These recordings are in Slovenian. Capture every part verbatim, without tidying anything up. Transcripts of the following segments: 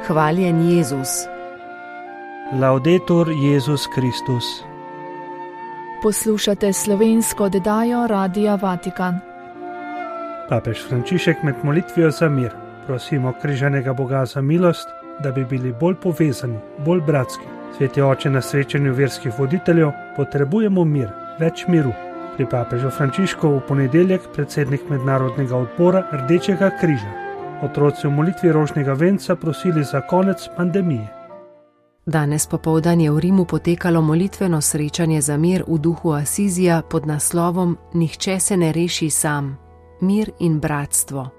Hvaljen Jezus. Laudetur Jezus Kristus. Poslušate slovensko oddajo Radia Vatikan. Papež Frančišek med molitvijo za mir prosimo križanega Boga za milost, da bi bili bolj povezani, bolj bratski. Sveti oče, na srečanju verskih voditeljev potrebujemo mir, več miru. Pri papežu Frančišku v ponedeljek predsednik mednarodnega odbora Rdečega križa. Otroci v molitvi rožnega venca prosili za konec pandemije. Danes popoldan je v Rimu potekalo molitveno srečanje za mir v duhu Asizija pod naslovom Nihče se ne reši sam. Mir in bratstvo.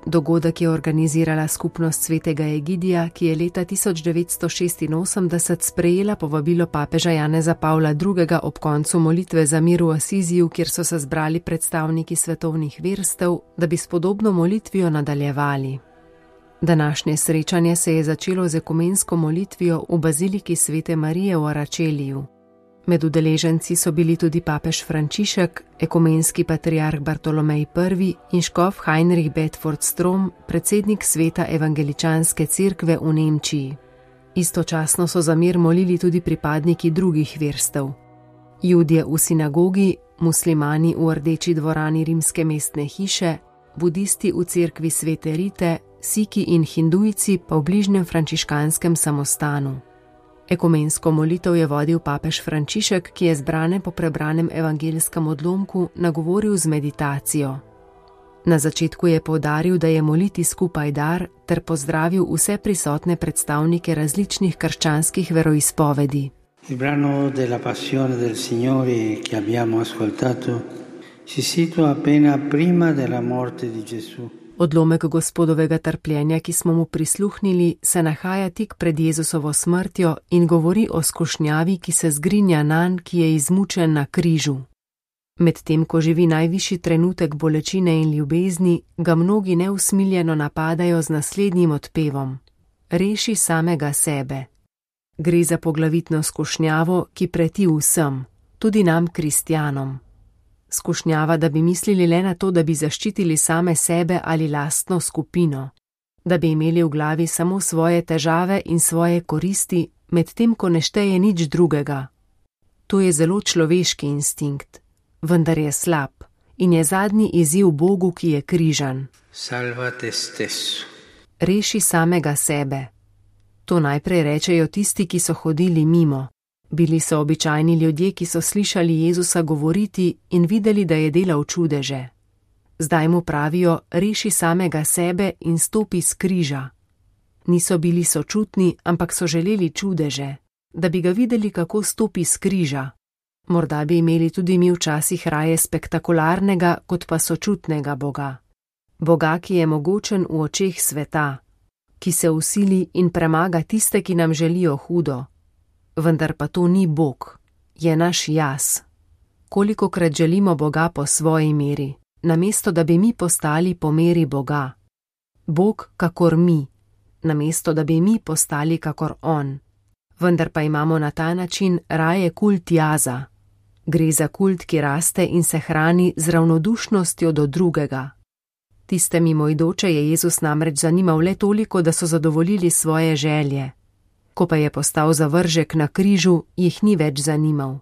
Dogodek je organizirala skupnost svetega Egidija, ki je leta tisoč devetsto šestinosemdeset sprejela povabilo papeža Janeza Pavla drugega ob koncu molitve za mir v Asiziju, kjer so se zbrali predstavniki svetovnih verstev, da bi s podobno molitvijo nadaljevali. Današnje srečanje se je začelo z ekumensko molitvijo v baziliki Svete Marije v Aračeliju. Med udeleženci so bili tudi papež Frančišek, ekumenski patriarh Bartolomej prvi in škof Heinrich Bedford Strom, predsednik sveta evangeličanske cerkve v Nemčiji. Istočasno so za mir molili tudi pripadniki drugih verstev. Judje v sinagogi, muslimani v Rdeči dvorani rimske mestne hiše, budisti v cerkvi Svete Rite, Siki in Hindujci pa v bližnjem frančiškanskem samostanu. Ekumensko molitev je vodil papež Frančišek, ki je zbrane po prebranem evangelskem odlomku nagovoril z meditacijo. Na začetku je poudaril, da je moliti skupaj dar, ter pozdravil vse prisotne predstavnike različnih krščanskih veroizpovedi. Il brano della passione del Signore che abbiamo ascoltato si situa appena prima della morte di Gesù. Odlomek Gospodovega trpljenja, ki smo mu prisluhnili, se nahaja tik pred Jezusovo smrtjo in govori o skušnjavi, ki se zgrinja nanj, ki je izmučen na križu. Medtem, ko živi najvišji trenutek bolečine in ljubezni, ga mnogi neusmiljeno napadajo z naslednjim odpevom: Reši samega sebe. Gre za poglavitno skušnjavo, ki preti vsem, tudi nam kristjanom. Skušnjava, da bi mislili le na to, da bi zaščitili same sebe ali lastno skupino, da bi imeli v glavi samo svoje težave in svoje koristi, medtem ko ne šteje nič drugega. To je zelo človeški instinkt, vendar je slab in je zadnji izziv Bogu, ki je križan. Salva te stesso. Reši samega sebe. To najprej rečejo tisti, ki so hodili mimo. Bili so običajni ljudje, ki so slišali Jezusa govoriti in videli, da je delal čudeže. Zdaj mu pravijo: reši samega sebe in stopi s križa. Niso bili sočutni, ampak so želeli čudeže, da bi ga videli, kako stopi s križa. Morda bi imeli tudi mi včasih raje spektakularnega, kot pa sočutnega Boga. Boga, ki je mogočen v očeh sveta, ki se vsili in premaga tiste, ki nam želijo hudo. Vendar pa to ni Bog, je naš jaz. Kolikokrat želimo Boga po svoji meri, namesto da bi mi postali po meri Boga. Bog kakor mi, namesto da bi mi postali kakor On. Vendar pa imamo na ta način raje kult jaza. Gre za kult, ki raste in se hrani z ravnodušnostjo do drugega. Tiste mimoidoče je Jezus namreč zanimal le toliko, da so zadovoljili svoje želje. Ko pa je postal zavržek na križu, jih ni več zanimal.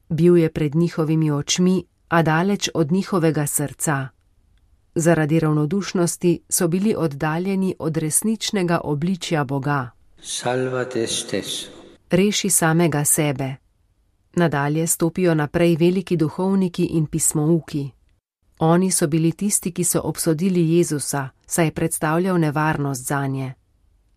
Bil je pred njihovimi očmi, a daleč od njihovega srca. Zaradi ravnodušnosti so bili oddaljeni od resničnega obličja Boga. Salva te stesso. Reši samega sebe. Nadalje stopijo naprej veliki duhovniki in pismouki. Oni so bili tisti, ki so obsodili Jezusa, saj je predstavljal nevarnost zanje.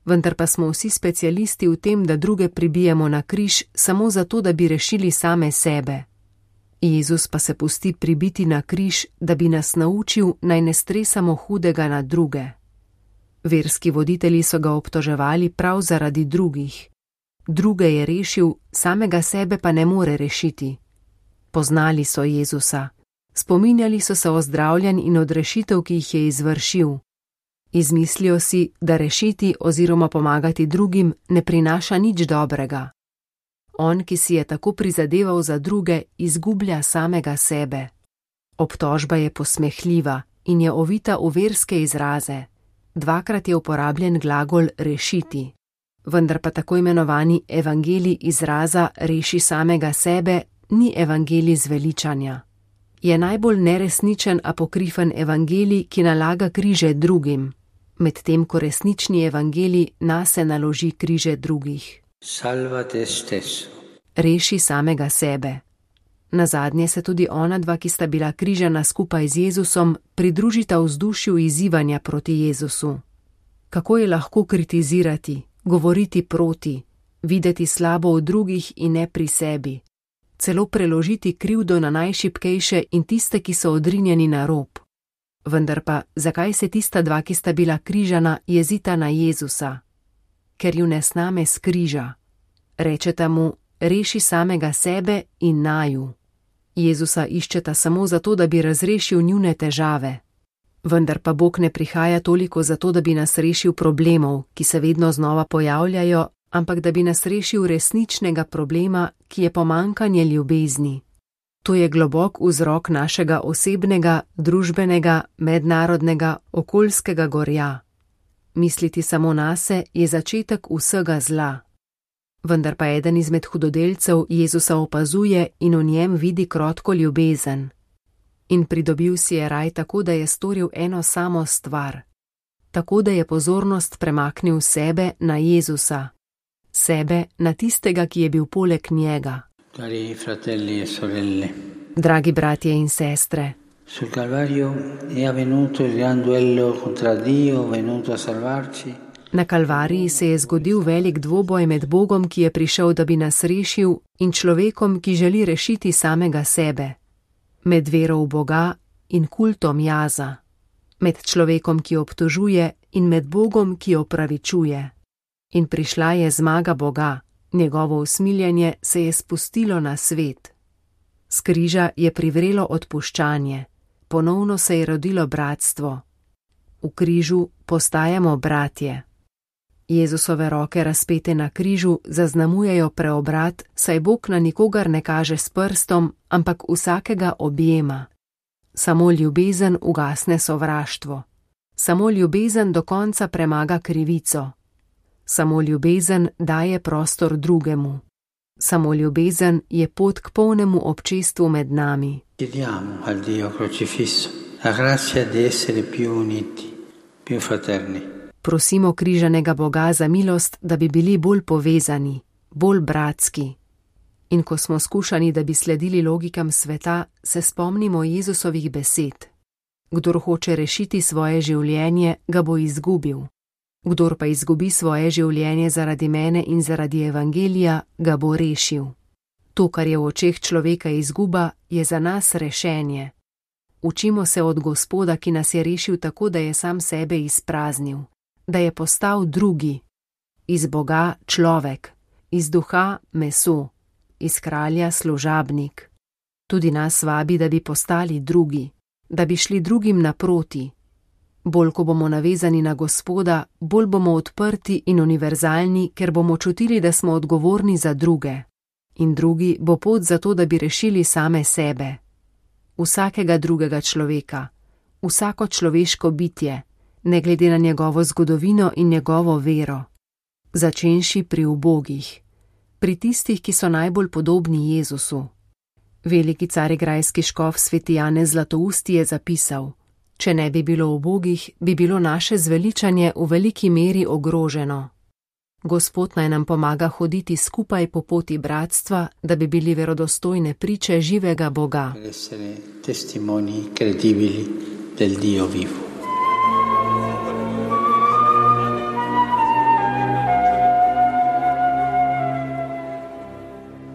Vendar pa smo vsi specialisti v tem, da druge pribijemo na križ samo zato, da bi rešili same sebe. Jezus pa se pusti pribiti na križ, da bi nas naučil, naj ne stresamo hudega na druge. Verski voditelji so ga obtoževali prav zaradi drugih. Druge je rešil, samega sebe pa ne more rešiti. Poznali so Jezusa. Spominjali so se o zdravljenj in odrešitev, ki jih je izvršil. Izmislijo si, da rešiti oziroma pomagati drugim ne prinaša nič dobrega. On, ki si je tako prizadeval za druge, izgublja samega sebe. Obtožba je posmehljiva in je ovita v verske izraze. Dvakrat je uporabljen glagol rešiti, vendar pa tako imenovani evangelij izraza reši samega sebe ni evangelij zveličanja. Je najbolj neresničen apokrifen evangelij, ki nalaga križe drugim, medtem ko resnični evangelij nase naloži križe drugih. Salva te stesso. Reši samega sebe. Nazadnje se tudi ona dva, ki sta bila križana skupaj z Jezusom, pridružita vzdušju izzivanja proti Jezusu. Kako je lahko kritizirati, govoriti proti, videti slabo v drugih in ne pri sebi, celo preložiti krivdo na najšibkejše in tiste, ki so odrinjeni na rob. Vendar pa, zakaj se tista dva, ki sta bila križana, jezita na Jezusa? Ker ju ne sname s križa. Rečeta mu, reši samega sebe in naju. Jezusa iščeta samo zato, da bi razrešil njune težave. Vendar pa Bog ne prihaja toliko zato, da bi nas rešil problemov, ki se vedno znova pojavljajo, ampak da bi nas rešil resničnega problema, ki je pomanjkanje ljubezni. To je globok vzrok našega osebnega, družbenega, mednarodnega, okoljskega gorja. Misliti samo nase je začetek vsega zla. Vendar pa eden izmed hudodelcev Jezusa opazuje in v njem vidi krotko ljubezen. In pridobil si je raj tako, da je storil eno samo stvar. Tako, da je pozornost premaknil sebe na Jezusa. Sebe na tistega, ki je bil poleg njega. Cari fratelli e sorelle. Dragi bratje in sestre. Sul Calvario è avvenuto il gran duello contra Dio venuto a salvarci. Na Kalvariji se je zgodil velik dvoboj med Bogom, ki je prišel, da bi nas rešil, in človekom, ki želi rešiti samega sebe. Med vero v Boga in kultom jaza. Med človekom, ki obtožuje, in med Bogom, ki opravičuje. In prišla je zmaga Boga, njegovo usmiljenje se je spustilo na svet. S križa je privrelo odpuščanje, ponovno se je rodilo bratstvo. V križu postajamo bratje. Jezusove roke razpete na križu zaznamujejo preobrat, saj Bog na nikogar ne kaže s prstom, ampak vsakega objema. Samo ljubezen ugasne sovraštvo. Samo ljubezen do konca premaga krivico. Samo ljubezen daje prostor drugemu. Samo ljubezen je pot k polnemu občestvu med nami. Chiediamo al Dio crocifisso la grazia di essere più uniti, più fraterni. Prosimo križanega Boga za milost, da bi bili bolj povezani, bolj bratski. In ko smo skušani, da bi sledili logikam sveta, se spomnimo Jezusovih besed. Kdor hoče rešiti svoje življenje, ga bo izgubil. Kdor pa izgubi svoje življenje zaradi mene in zaradi evangelija, ga bo rešil. To, kar je v očeh človeka izguba, je za nas rešenje. Učimo se od Gospoda, ki nas je rešil tako, da je sam sebe izpraznil. Da je postal drugi, iz Boga človek, iz duha meso, iz kralja služabnik. Tudi nas vabi, da bi postali drugi, da bi šli drugim naproti. Bolj ko bomo navezani na Gospoda, bolj bomo odprti in univerzalni, ker bomo čutili, da smo odgovorni za druge. In drugi bo pot za to, da bi rešili same sebe. Vsakega drugega človeka, vsako človeško bitje, ne glede na njegovo zgodovino in njegovo vero. Začenši pri ubogih, pri tistih, ki so najbolj podobni Jezusu. Veliki carigrajski škof sveti Janez Zlatousti je zapisal: če ne bi bilo ubogih, bi bilo naše zveličanje v veliki meri ogroženo. Gospod naj nam pomaga hoditi skupaj po poti bratstva, da bi bili verodostojne priče živega Boga. Per essere testimoni credibili del Dio vivo.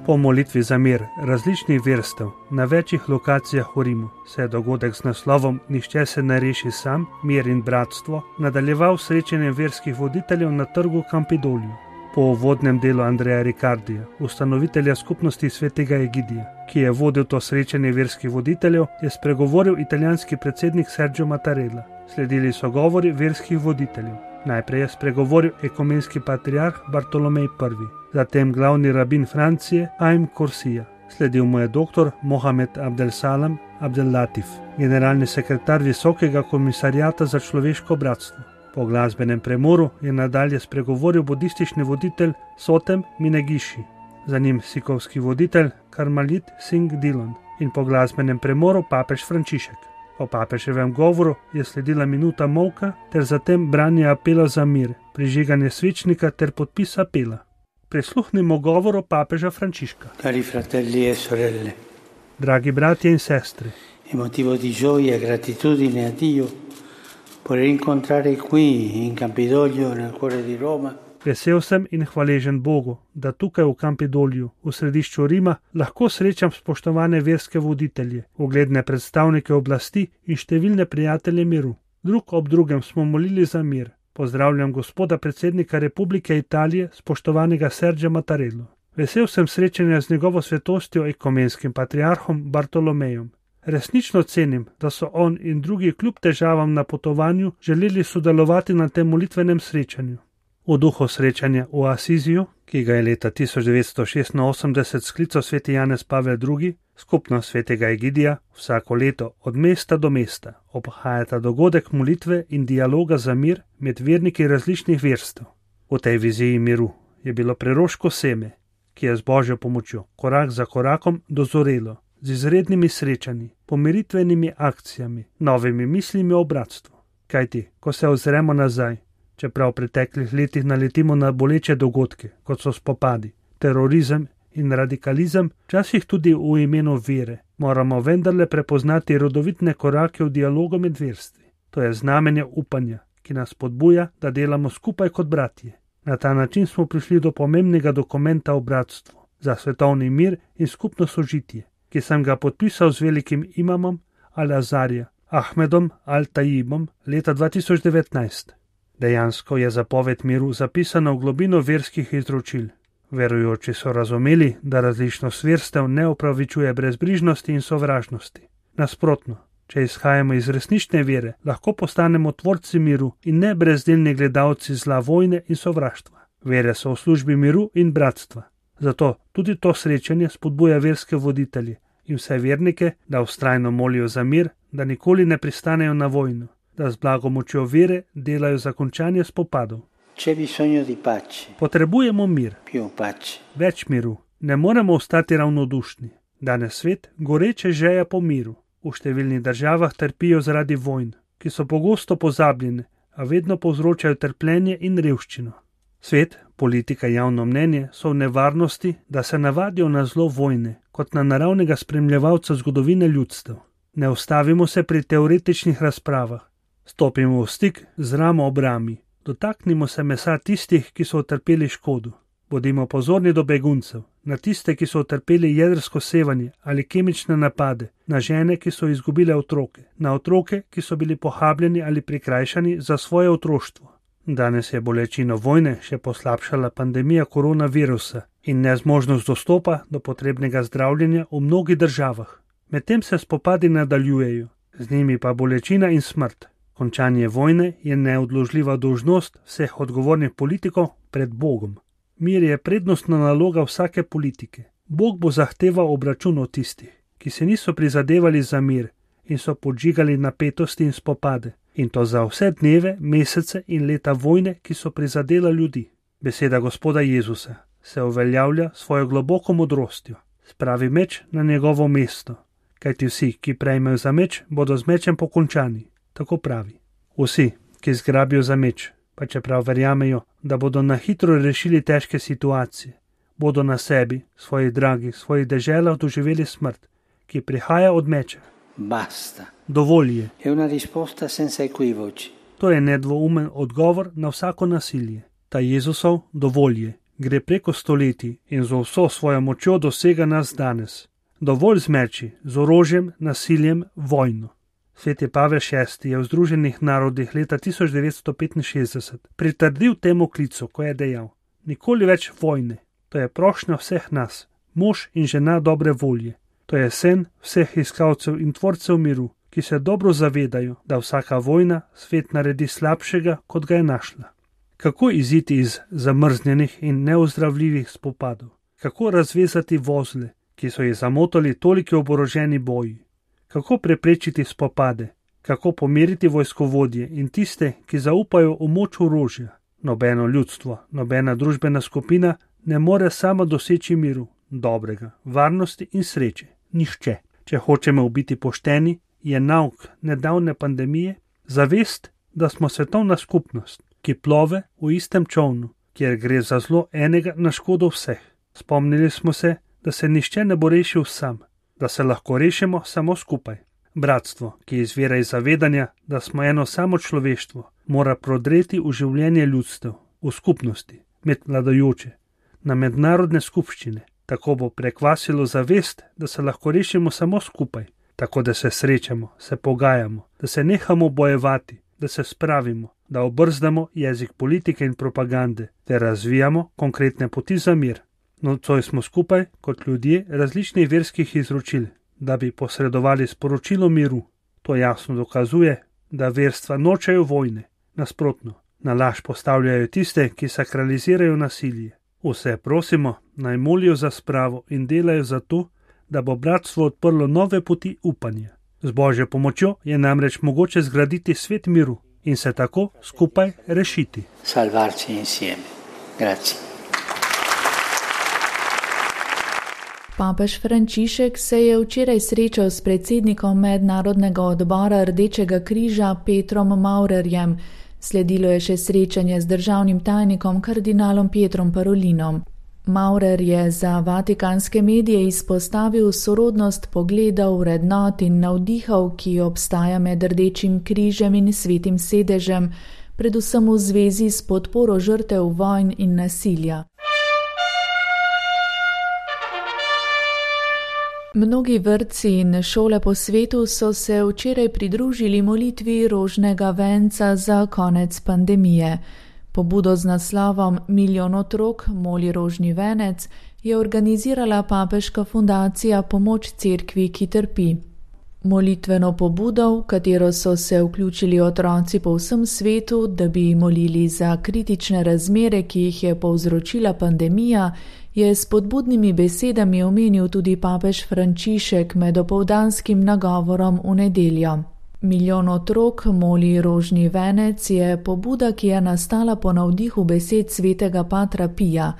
Po molitvi za mir različnih verstev na večjih lokacijah v Rimu se je dogodek z naslovom Nihče se ne reši sam, mir in bratstvo nadaljeval srečanjem verskih voditeljev na trgu Campidoliju. Po uvodnem delu Andreja Ricardija, ustanovitelja skupnosti svetega Egidija, ki je vodil to srečanje verskih voditeljev, je spregovoril italijanski predsednik Sergio Mattarella. Sledili so govori verskih voditeljev. Najprej je spregovoril ekumenski patriarh Bartolomej prvi, zatem glavni rabin Francije Aim Korsija. Sledil mu je doktor Mohamed Abdel Salam Abdel Latif, generalni sekretar Visokega komisarijata za človeško bratstvo. Po glasbenem premoru je nadalje spregovoril budistični voditelj Sotem Minegishi, za njim sikovski voditelj Karmalit Singh Dhillon in po glasbenem premoru papež Frančišek. Po papeževem govoru je sledila minuta molka ter zatem branje apela za mir, prižiganje svečnika ter podpis apela. Prisluhnimo govoru papeža Frančiška. Cari fratelli e sorelle, Dragi bratje in sestre, è motivo di gioia e gratitudine a Dio poter incontrare qui in Campidoglio, nel cuore di Roma, vesel sem in hvaležen Bogu, da tukaj v Campidolju, v središču Rima, lahko srečam spoštovane verske voditelje, ugledne predstavnike oblasti in številne prijatelje miru. Drug ob drugem smo molili za mir. Pozdravljam gospoda predsednika Republike Italije, spoštovanega Sergio Mattarello. Vesel sem srečanja z njegovo svetostjo ekumenskim patriarhom Bartolomejom. Resnično cenim, da so on in drugi kljub težavam na potovanju želeli sodelovati na tem molitvenem srečanju. V duhu srečanja v Asiziju, ki ga je leta tisoč devetsto šestinosemdeset sklical sveti Janez Pavel drugi, skupnost svetega Egidija vsako leto od mesta do mesta obhajata dogodek molitve in dialoga za mir med verniki različnih verstev. V tej viziji miru je bilo preroško seme, ki je z Božjo pomočjo korak za korakom dozorelo, z izrednimi srečanji, pomiritvenimi akcijami, novimi mislimi o bratstvu. Kajti, ko se ozremo nazaj, čeprav v preteklih letih naletimo na boleče dogodke, kot so spopadi, terorizem in radikalizem, včasih tudi v imenu vere, moramo vendarle prepoznati rodovitne korake v dialogu med verstvi. To je znamenje upanja, ki nas spodbuja, da delamo skupaj kot bratje. Na ta način smo prišli do pomembnega dokumenta o bratstvu za svetovni mir in skupno sožitje, ki sem ga podpisal z velikim imamom Al-Azarja Ahmedom Al-Tajibom leta dva tisoč devetnajst. Dejansko je zapoved miru zapisana v globino verskih izročil. Verujoči so razumeli, da različnost verstev ne opravičuje brezbrižnosti in sovražnosti. Nasprotno, če izhajamo iz resnične vere, lahko postanemo tvorci miru in ne brezdelni gledalci zla, vojne in sovraštva. Vere so v službi miru in bratstva. Zato tudi to srečanje spodbuja verske voditelje in vse vernike, da vztrajno molijo za mir, da nikoli ne pristanejo na vojno, da z blagomočjo vere delajo za končanje spopadov. c'è bisogno di pace, Potrebujemo mir, più pace. več miru. Ne moremo ostati ravnodušni. Danes svet goreče žeja po miru. V številnih državah trpijo zaradi vojn, ki so pogosto pozabljene, a vedno povzročajo trpljenje in revščino. Svet, politika, javno mnenje so v nevarnosti, da se navadijo na zlo vojne, kot na naravnega spremljevalca zgodovine ljudstev. Ne ustavimo se pri teoretičnih razpravah. Stopimo v stik z ramo ob rami. Dotaknimo se mesa tistih, ki so utrpeli škodo. Bodimo pozorni do beguncev, na tiste, ki so utrpeli jedrsko sevanje ali kemične napade, na žene, ki so izgubile otroke, na otroke, ki so bili pohabljeni ali prikrajšani za svoje otroštvo. Danes je bolečino vojne še poslabšala pandemija koronavirusa in nezmožnost dostopa do potrebnega zdravljenja v mnogih državah. Medtem se spopadi nadaljujejo, z njimi pa bolečina in smrt. Končanje vojne je neodložljiva dolžnost vseh odgovornih politikov pred Bogom. Mir je prednostna naloga vsake politike. Bog bo zahteval obračun od tistih, ki se niso prizadevali za mir in so podžigali napetosti in spopade. In to za vse dneve, mesece in leta vojne, ki so prizadela ljudi. Beseda Gospoda Jezusa se uveljavlja svojo globoko modrostjo. Spravi meč na njegovo mesto, kajti vsi, ki prejmejo za meč, bodo z mečem pokončani. Tako pravi. Vsi, ki zgrabijo za meč, pa čeprav verjamejo, da bodo na hitro rešili težke situacije, bodo na sebi, svojih dragih, svojih deželah doživeli smrt, ki prihaja od meča. Basta. Dovolj je. È una risposta senza equivoci. To je nedvoumen odgovor na vsako nasilje. Ta Jezusov dovolj je. Gre preko stoletij in z vso svojo močjo dosega nas danes. Dovolj z meči, z orožjem, nasiljem, vojno. Sveti Pavel šesti je v Združenih narodih leta tisoč devetsto petinšestdeset pritrdil temu klicu, ko je dejal: nikoli več vojne. To je prošnja vseh nas, mož in žena dobre volje. To je sen vseh iskalcev in tvorcev miru, ki se dobro zavedajo, da vsaka vojna svet naredi slabšega, kot ga je našla. Kako iziti iz zamrznjenih in neozdravljivih spopadov? Kako razvezati vozle, ki so jih zamotali toliki oboroženi boji? Kako preprečiti spopade, kako pomiriti vojskovodje in tiste, ki zaupajo v moč orožja. Nobeno ljudstvo, nobena družbena skupina ne more sama doseči miru, dobrega, varnosti in sreče. Nihče. Če hočemo biti pošteni, je nauk nedavne pandemije zavest, da smo svetovna skupnost, ki plove v istem čolnu, kjer gre za zlo enega na škodo vseh. Spomnili smo se, da se nihče ne bo rešil sam, da se lahko rešimo samo skupaj. Bratstvo, ki izvira iz zavedanja, da smo eno samo človeštvo, mora prodreti v življenje ljudstev, v skupnosti, med vladajoče, na mednarodne skupščine. Tako bo prekvasilo zavest, da se lahko rešimo samo skupaj, tako da se srečamo, se pogajamo, da se nehamo bojevati, da se spravimo, da obrzdamo jezik politike in propagande, ter razvijamo konkretne poti za mir. Nocoj smo skupaj kot ljudje različnih verskih izročil, da bi posredovali sporočilo miru. To jasno dokazuje, da verstva nočejo vojne, nasprotno, na laž postavljajo tiste, ki sakralizirajo nasilje. Vse prosimo, naj molijo za spravo in delajo za to, da bo bratstvo odprlo nove poti upanja. Z Božjo pomočjo je namreč mogoče zgraditi svet miru in se tako skupaj rešiti. Salvarci insieme. Grazie. Papež Frančišek se je včeraj srečal s predsednikom Mednarodnega odbora Rdečega križa Petrom Maurerjem. Sledilo je še srečanje z državnim tajnikom kardinalom Pietrom Parolinom. Maurer je za vatikanske medije izpostavil sorodnost pogledov, vrednot in navdihov, ki obstaja med Rdečim križem in Svetim sedežem, predvsem v zvezi s podporo žrtev vojn in nasilja. Mnogi vrtci in šole po svetu so se včeraj pridružili molitvi rožnega venca za konec pandemije. Pobudo z naslovom Milijon otrok moli rožni venec je organizirala papeška fundacija Pomoč cerkvi, ki trpi. Molitveno pobudo, v katero so se vključili otroci po vsem svetu, da bi molili za kritične razmere, ki jih je povzročila pandemija, je s spodbudnimi besedami omenil tudi papež Frančišek med opoldanskim nagovorom v nedeljo. Milijon otrok moli rožni venec je pobuda, ki je nastala po navdihu besed svetega patra Pija.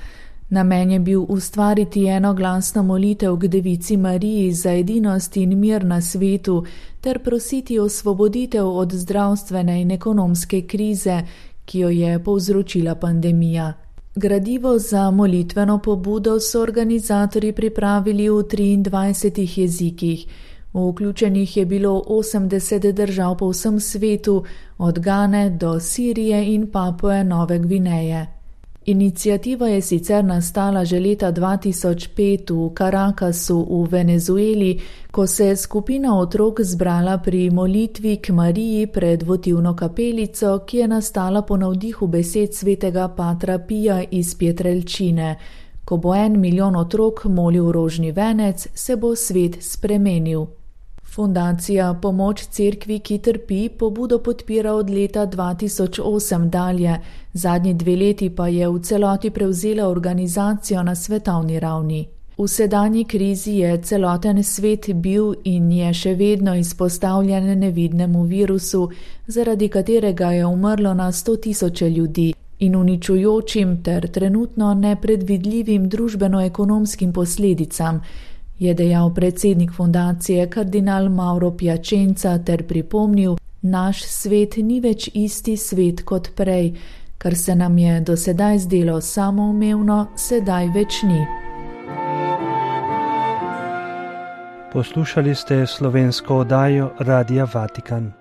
Namen je bil ustvariti enoglasno molitev k Devici Mariji za edinost in mir na svetu ter prositi osvoboditev od zdravstvene in ekonomske krize, ki jo je povzročila pandemija. Gradivo za molitveno pobudo so organizatorji pripravili v triindvajsetih jezikih. Vključenih je bilo osemdeset držav po vsem svetu, od Gane do Sirije in Papue Nove Gvineje. Iniciativa je sicer nastala že leta dva tisoč pet v Caracasu v Venezueli, ko se je skupina otrok zbrala pri molitvi k Mariji pred votivno kapelico, ki je nastala po navdihu besed svetega patra Pija iz Pietrelcine. Ko bo en milijon otrok molil rožni venec, se bo svet spremenil. Fundacija Pomoč cerkvi, ki trpi, pobudo podpira od leta dva tisoč osem dalje, zadnji dve leti pa je v celoti prevzela organizacijo na svetovni ravni. V sedanji krizi je celoten svet bil in je še vedno izpostavljen nevidnemu virusu, zaradi katerega je umrlo na sto tisoče ljudi, in uničujočim ter trenutno nepredvidljivim družbeno-ekonomskim posledicam, je dejal predsednik fundacije kardinal Mauro Piacenza ter pripomnil, naš svet ni več isti svet kot prej, kar se nam je do sedaj zdelo samoumevno, sedaj več ni. Poslušali ste slovensko oddajo Radia Vatikan.